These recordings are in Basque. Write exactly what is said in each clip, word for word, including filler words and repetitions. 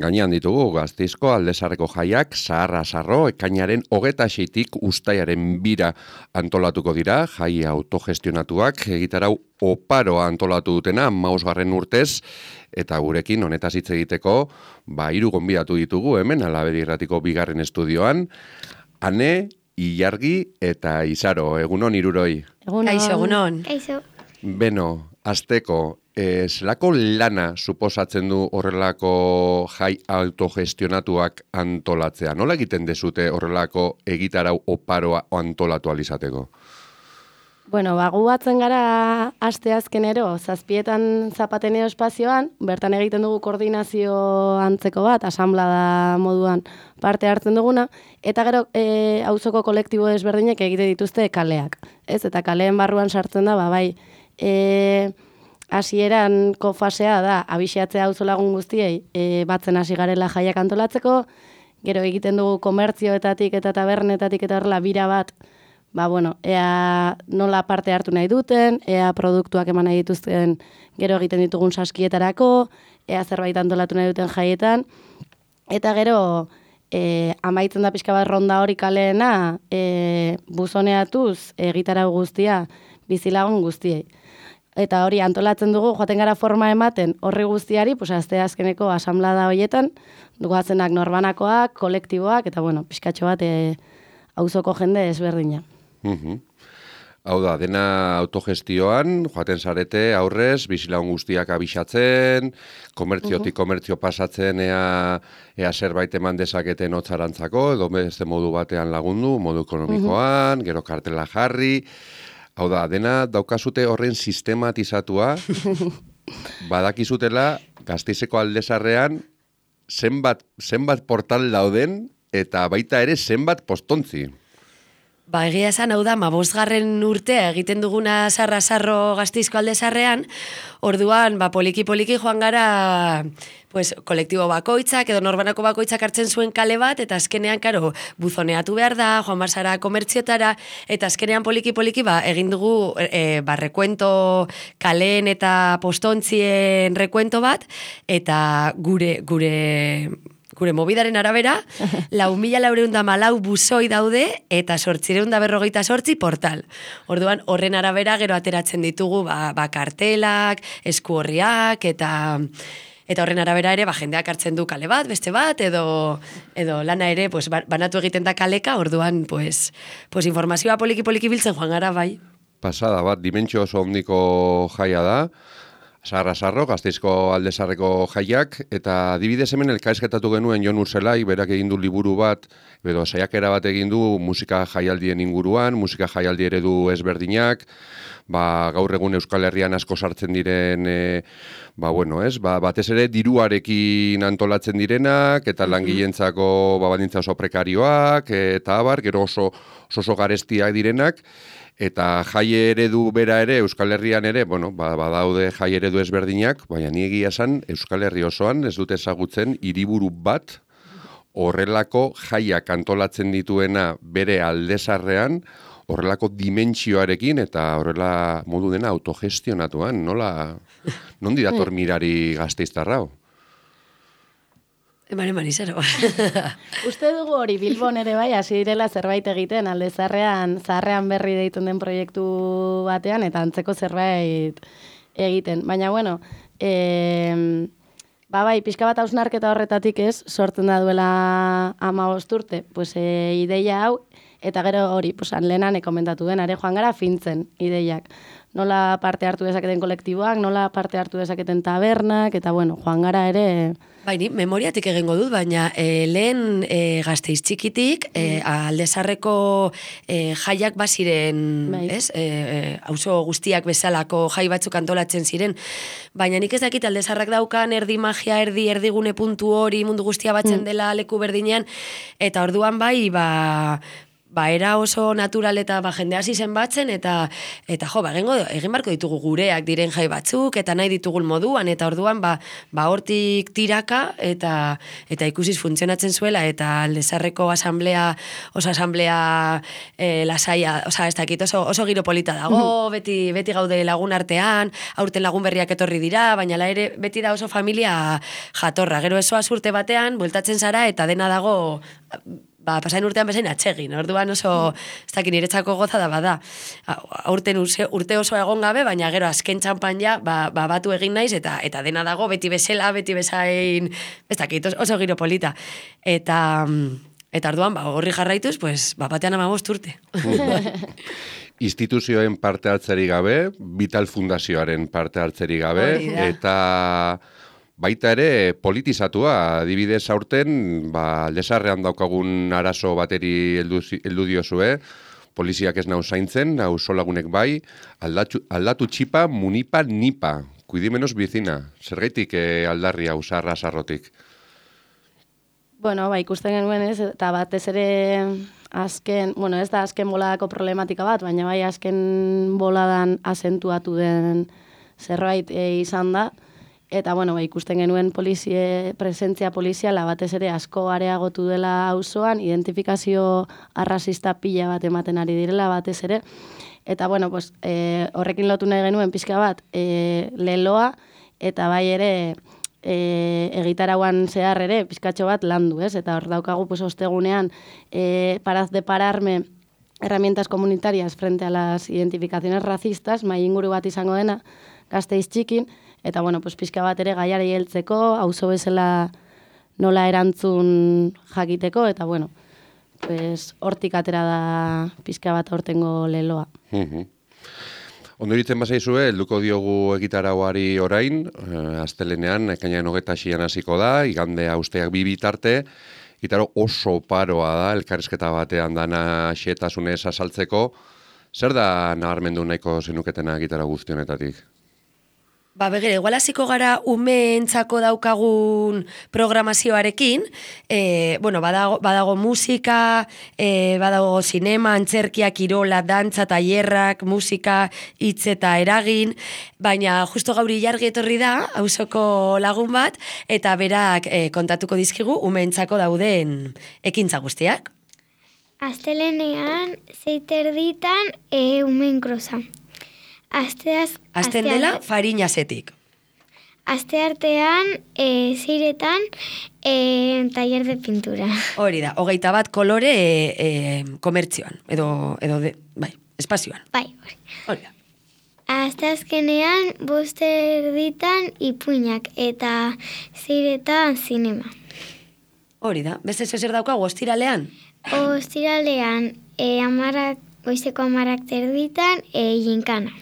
Gainean ditugu, Gasteizko Aldezarreko jaiak, zaharra sarro, ekainaren hogeta seitik ustaiaren bira antolatuko dira, jai autogestionatuak, egitarau oparoa antolatu dutena, mausgarren urtez, eta gurekin honetaz hitz egiteko, ba, hiru gonbidatu ditugu hemen, Alabedi Irratiko bigarren estudioan, Ane, Ilargi eta Izaro, egunon hiruroi. Egunon. Kaixo, egunon. Kaixo. Beno, azteko, e, zelako lana suposatzen du horrelako jai autogestionatuak antolatzea? Nola egiten dezute horrelako egitarau oparoa antolatu alizateko? Bueno, bagu batzen gara aste azkenero, zazpietan zapateneo espazioan, bertan egiten dugu koordinazio antzeko bat, asanblada moduan parte hartzen duguna, eta gero e, auzoko kolektibo desberdinek egite dituzte kaleak. Ez, eta kaleen barruan sartzen da, ba, bai, e, hasieranko fasea da, abixatzea auzolagun guztiei, e, batzen hasi garela jaiak antolatzeko, gero egiten dugu komertzioetatik eta tabernetatik eta horrela bira bat, ba, bueno, ea nola parte hartu nahi duten, ea produktuak eman nahi dituzten gero egiten ditugun saskietarako, ea zerbait antolatu nahi duten jaietan, eta gero e, amaitzen da pixka bat ronda hori kaleena e, buzoneatuz egitarau guztia bizilagun guztiei. Eta hori antolatzen dugu, joaten gara forma ematen horri guztiari, pues azte azkeneko asanblada horietan, dugazenak norbanakoak, kolektiboak, eta bueno, pixkatxo bat e, auzoko jende ezberdina. Uhum. Hau da, dena autogestioan, joaten zarete aurrez, bizilagun guztiak abixatzen, komertziotik komertzio pasatzen, ea, ea zerbait eman dezaketen hotzarantzako, edo beste modu batean lagundu, modu ekonomikoan, gero kartela jarri. Hau da, dena daukazute horren sistematizatua, badakizutela Gasteizeko Aldezarrean zenbat, zenbat portal dauden, eta baita ere zenbat postontzi. Ba, egia esan, hau da, mabosgarren urtea egiten duguna sarra-sarro Gasteizko Aldezarrean, orduan, ba, poliki-poliki joan gara, pues, kolektibo bakoitzak, edo norbanako bakoitzak hartzen zuen kale bat, eta azkenean, karo, buzoneatu behar da, joan barzara komertziotara, eta azkenean poliki-poliki, ba, egin dugu, e, ba, rekuento kaleen eta postontzien rekuento bat, eta gure, gure... Gure mobidaren arabera, lau mila laureun da malau buzoi daude eta sortzireun da berrogeita sortzi portal. Orduan, horren arabera gero ateratzen ditugu ba, ba kartelak, esku horriak eta... Eta horren arabera ere, ba, jendeak hartzen du kale bat, beste bat, edo, edo lana ere pues, banatu egiten da kaleka, orduan pues, pues informazioa poliki-poliki biltzen joan gara, bai. Pasada bat, dimentsio oso ondiko jaia da, Sarra-sarro, Gasteizko Aldezarreko jaiak, eta adibidez hemen elkarrizketatu genuen Jon Urzelai, berak egin du liburu bat, edo saiakera bat egin du musika jaialdien inguruan, musika jaialdi eredu ezberdinak, ba, gaur egun Euskal Herrian asko sartzen diren, e, ba, bueno, ez, ba, batez ere diruarekin antolatzen direnak, eta langileentzako ba, baldintza oso prekarioak, eta abar, gero oso, oso garestiak direnak, eta jai eredu bera ere, Euskal Herrian ere, bueno, badaude jai eredu ezberdinak, baina ni egia esan Euskal Herri osoan ez dute ezagutzen hiriburu bat horrelako jaiak antolatzen dituena bere Aldezarrean, horrelako dimentsioarekin eta horrela modu dena autogestionatuan, nola, nondi dator mirari gasteiztarrao? Eman, eman, izaro. Uste dugu hori Bilbon ere bai, hasi direla zerbait egiten, Aldezarrean, zaharrean berri deitun den proiektu batean, eta antzeko zerbait egiten. Baina, bueno, e, ba bai, pixka bat hausnarketa horretatik ez, sortzen da duela hamabost urte, pues, e, ideia hau, eta gero hori, pues, lehenan komentatu den, are joan gara fintzen ideiak. Nola parte hartu dezaketen kolektiboak, nola parte hartu dezaketen tabernak, eta bueno, joan gara ere... Baini, memoriatik egingo dut, baina e, lehen e, Gasteiz txikitik, e, Aldezarreko e, jaiak baziren, bai. ez? E, auzo guztiak bezalako jai batzuk antolatzen ziren, baina nik ez dakit Aldezarrak daukan erdi magia, erdi erdigune puntu hori mundu guztia batzen dela leku berdinean, eta orduan bai, ba... ba, era oso natural eta ba, jende hasi zen batzen, eta, eta jo, ba, egingo, egin barko ditugu gureak diren jai batzuk, eta nahi ditugun moduan, eta orduan, ba, ba hortik tiraka, eta, eta ikusiz funtzionatzen zuela, eta Aldezarreko asamblea, oso asamblea e, lasaia, oza, ez dakit, oso, oso giro polita dago, beti, beti gaude lagun artean, aurten lagun berriak etorri dira, baina la ere beti da oso familia jatorra, gero esoa urte batean, bueltatzen zara, eta dena dago, ba, pasain urtean bezain atsegin, orduan oso, ez dakit niretzako goza da bada. Aurten urte oso egon gabe, baina gero azken txampan ja, ba, ba, batu egin naiz, eta eta dena dago, beti bezala, beti bezain, ez dakit, oso giro polita. Eta, eta orduan, ba, horri jarraituz, pues, ba, batean amabost urte. Instituzioen parte hartzeri gabe, Vital Fundazioaren parte hartzeri gabe, eta baita ere politizatua, adibidez aurten, ba, Aldezarrean daukagun arazo bateri heldu, heldu diozue, poliziak ez nau zaintzen, auzolagunek bai, aldatu, aldatu txipa, munipa, nipa, kuidimenos bizina, zergaitik eh, aldarri hau zarra zarrotik? Bueno, ba, ikusten genuen ez, eta batez ere azken, bueno, ez da azken boladako problematika bat, baina bai azken boladan azentuatu den zerbait e, izan da, eta, bueno, ba, ikusten genuen polizie, presentzia poliziala batez ere asko areagotu dela auzoan, identifikazio arrazista pila bat ematen ari direla batez ere. Eta, bueno, pues, e, horrekin lotu nahi genuen pixka bat e, leloa, eta bai ere e, egitarauan zehar ere pizkatxo bat landu, ez? Eta hor daukagu, pues, ostegunean, e, paraz de pararme herramientas comunitarias frente a las identificaciones racistas, mai inguru bat izango dena, Gasteiz txikin, eta, bueno, pues, pixka bat ere gaiari heltzeko, auzo bezala nola erantzun jakiteko, eta, bueno, pues, hortik atera da pixka bat hortengo leloa. Uh-huh. Ondo iritzen bazaizue, helduko diogu egitarauari orain, eh, astelenean, ekainean hogeta xian hasiko da, igandea usteak bi bitarte, gitaro oso paroa da, elkarrizketa batean dana xetasunez azaltzeko. Zer da nabarmendu nahiko zenuketena gitara guztionetatik? Ba, begire, igual hasiko gara umeentzako daukagun programazioarekin, e, bueno, badago, badago musika, e, badago sinema, antzerkia, kirola, dantza, tailerrak, musika, hitz eta eragin, baina justo gaur ilargi etorri da, auzoko lagun bat, eta berak e, kontatuko dizkigu umeentzako dauden ekintza guztiak. Astelenean, zeiterditan, e, umeen krosa. Asteaz, Azten dela farinazetik. Aste artean, e, ziretan, e, taller de pintura. Hori da, hogeita bat kolore e, e, komertzioan, edo, edo de, bai, espazioan. Bai, hori. Hori da. Aste azkenean, bost erditan ipuinak eta ziretan zinema. Hori da, beste zer daukagu, ostiralean? Ostiralean, e, amarak, goizeko amarak terditan, e, jinkana.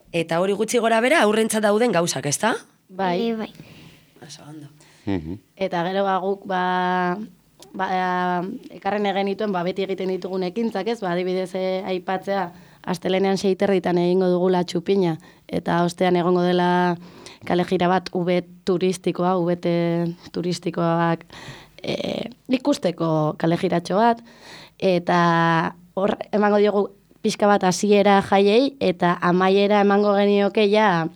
Eta hori gutxi gora bera aurrentzat dauden gauzak, ezta? Bai. E, bai. Oso ondo. Eta gero ba, guk ba, ba, ekarren egen dituen, ba, beti egiten ditugun ekintzak, ez? Ba, adibidez eh, aipatzea, astelenean seiterritan egingo dugula txupina, eta ostean egongo dela kale jira bat ube turistikoa, ubete turistikoak e, ikusteko kale jiratxo bat, eta hor emango diogu pixka bat hasiera jaiei, eta amaiera emango genioke ja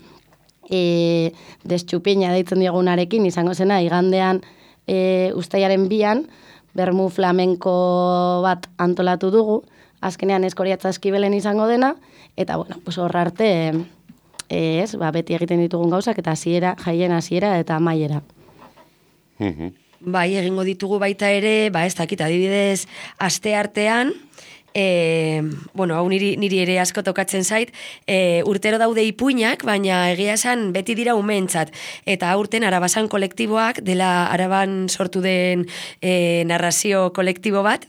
e, destxupina deitzen diogunarekin, izango zena, igandean e, ustaiaren bian, bermu flamenko bat antolatu dugu, azkenean eskoriatza eskibelen izango dena, eta bueno, pues hor arte, e, ez, ba, beti egiten ditugun gauzak, eta hasiera, jaien hasiera eta amaiera. Bai, egingo ditugu baita ere, ba ez dakit, adibidez, aste artean, E, bueno, hau niri, niri ere asko tokatzen zait, e, urtero daude ipuinak, baina egia esan beti dira umeentzat. Eta aurten Arabasan kolektiboak, dela Araban sortu den e, narrazio kolektibo bat,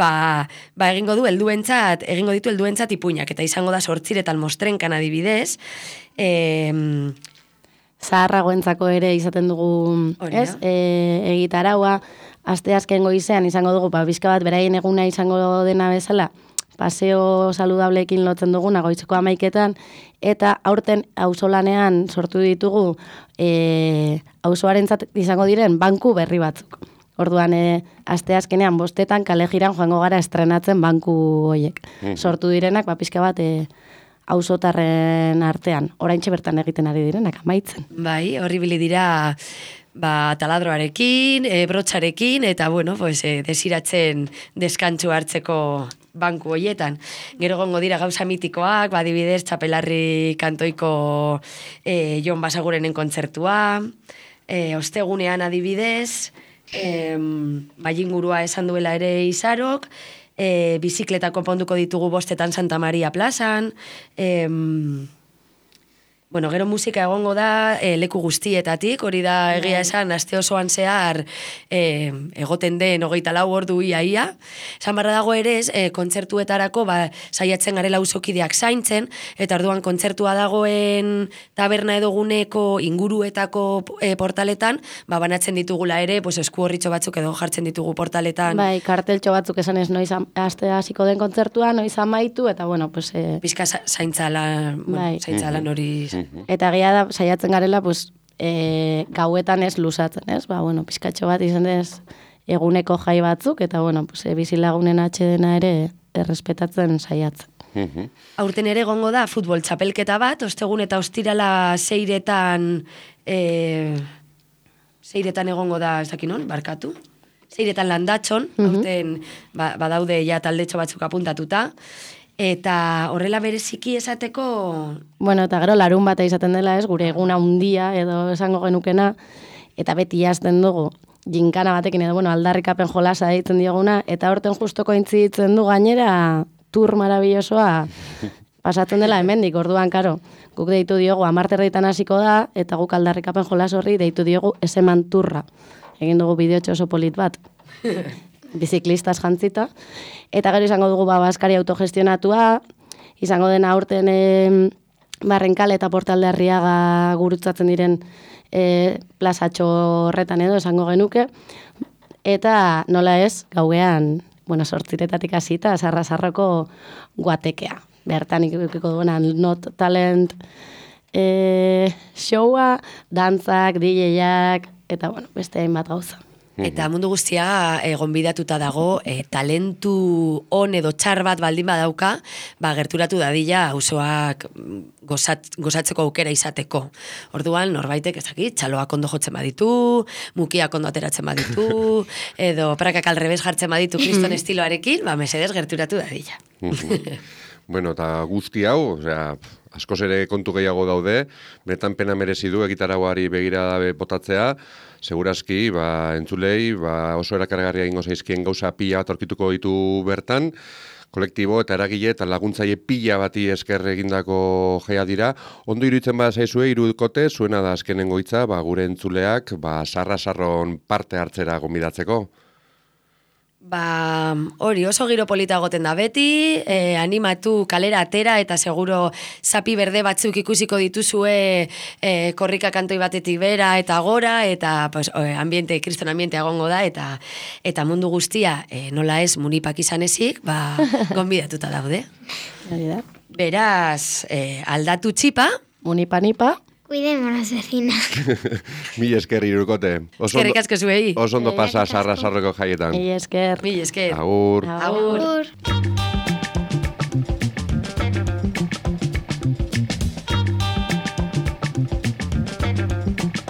ba, ba egingo du helduentzat, egingo ditu helduentzat ipuinak, eta izango da sortziretan mostrenkan adibidez. E, Zaharragoentzako ere izaten dugu, ez? E, egitaraua, aste azken goizean izango dugu, ba, bizka bat beraien eguna izango dena bezala, paseo saludableekin lotzen duguna goizeko amaiketan, eta aurten auzolanean sortu ditugu e, auzoarentzat izango diren banku berri batzuk. Orduan, e, aste azkenean bostetan kale jiran joango gara estrenatzen banku hoiek. Sortu direnak, ba, pixka bat, e, auzotarren artean. Oraintxe bertan egiten ari direnak, amaitzen. Bai, horri bili dira ba, taladroarekin, e, brotxarekin, eta, bueno, pues, e, desiratzen deskantzu hartzeko banku hoietan. Gero gongo dira gauza mitikoak, ba, adibidez, Txapelarri kantoiko e, Jon Basagurenen kontzertua, e, ostegunean adibidez, e, baingurua esan duela ere Izarok, e, bizikleta konponduko ditugu bostetan Santa Maria plazan, e, bueno, gero musika egongo da e, leku guztietatik, hori da egia esan, aste osoan zehar e, egoten den hogeita lau ordu ia-ia. Esan barra dago ere, e, kontzertuetarako ba, saiatzen garela auzokideak zaintzen, eta orduan kontzertua dagoen taberna edo guneko inguruetako e, portaletan, ba, banatzen ditugula ere, pues, esku horritxo batzuk edo jartzen ditugu portaletan. Bai, karteltxo batzuk esan ez noiz aste hasiko den kontzertua, noiz amaitu, eta bueno, pues... E... Pizka zaintzalan, bueno, bai. zaintzalan hori... Eta egia da, saiatzen garela, pues, e, gauetan ez luzatzen, ez? Ba, bueno, pizkatxo bat izan ez eguneko jai batzuk, eta, bueno, pues, e, bizilagunen atxedena ere errespetatzen saiatzen. Aurten ere gongo da futbol txapelketa bat, ostegun eta ostirala seiretan, e, seiretan egongo da, ez dakinon, barkatu, seiretan landatxon, aurten ba, badaude ja taldetxo batzuk apuntatuta, eta horrela bereziki esateko... Bueno, eta gero larun bata izaten dela ez, gure eguna handia edo esango genukena, eta beti jazten dugu, ginkana batekin edo, bueno, aldarrikapen jolasa deitzen dioguna, eta horten justo kointziditzen du gainera tur marabillosoa pasatzen dela hemendik, orduan, karo, guk deitu diogu amarterreitan hasiko da, eta guk aldarrikapen jolas horri deitu diogu eseman turra. Egin dugu bideotxo oso polit bat. Biziklistas jantzita, eta gero izango dugu ba, Baskari autogestionatua, izango dena aurten e, Barrenkale eta Portalde Arriaga gurutzatzen diren e, plazatxo horretan edo esango genuke, eta nola ez, gauean, bueno, sortziretatik hasita, Sarra-Sarroko guatekea. Bertan ikukiko duena Not Talent e, showa, dantzak, D J-ak, eta bueno, beste hainbat gauza. Eta mundu guztia e, gonbidatuta dago, e, talentu on edo txar bat baldin badauka, ba, gerturatu dadila auzoak gozat, gozatzeko aukera izateko. Orduan, norbaitek ezakit, txaloak ondo jotzen baditu, mukiak ondo ateratzen baditu, edo prakak alrebez jartzen baditu kriston estiloarekin, ba, mesedez gerturatu dadila. Bueno, eta guzti hau, osea, askoz ere kontu gehiago daude, benetan pena merezi du egitaragoari begira botatzea, segurazki, ba, entzulei, ba, oso erakargarria ingo zaizkien gauza pila bat aurkituko ditu bertan, kolektibo eta eragile eta laguntzaile pila bati esker egindako jaia dira. Ondo iruditzen bada zaizue, irudukote, zuena da azkenengo hitza, ba, gure entzuleak, ba, sarra-sarron parte hartzera gonbidatzeko. Ba, hori oso giro polita goten da beti, eh, animatu kalera atera eta seguro zapi berde batzuk ikusiko dituzue eh, korrika kantoi batetik bera eta gora, eta pues, eh, ambiente, kriston ambiente agongo da, eta eta mundu guztia eh, nola ez munipak izan ezik, ba, gonbidatuta daude. Beraz, eh, aldatu txipa. Munipa-nipa. Cuidemos las vecinas. Mil esker irukote. Eskerrik asko zuei. Oso ondo pasa Sarra-Sarroko jaietan. Mil esker. Mil esker. Agur. Agur. Agur.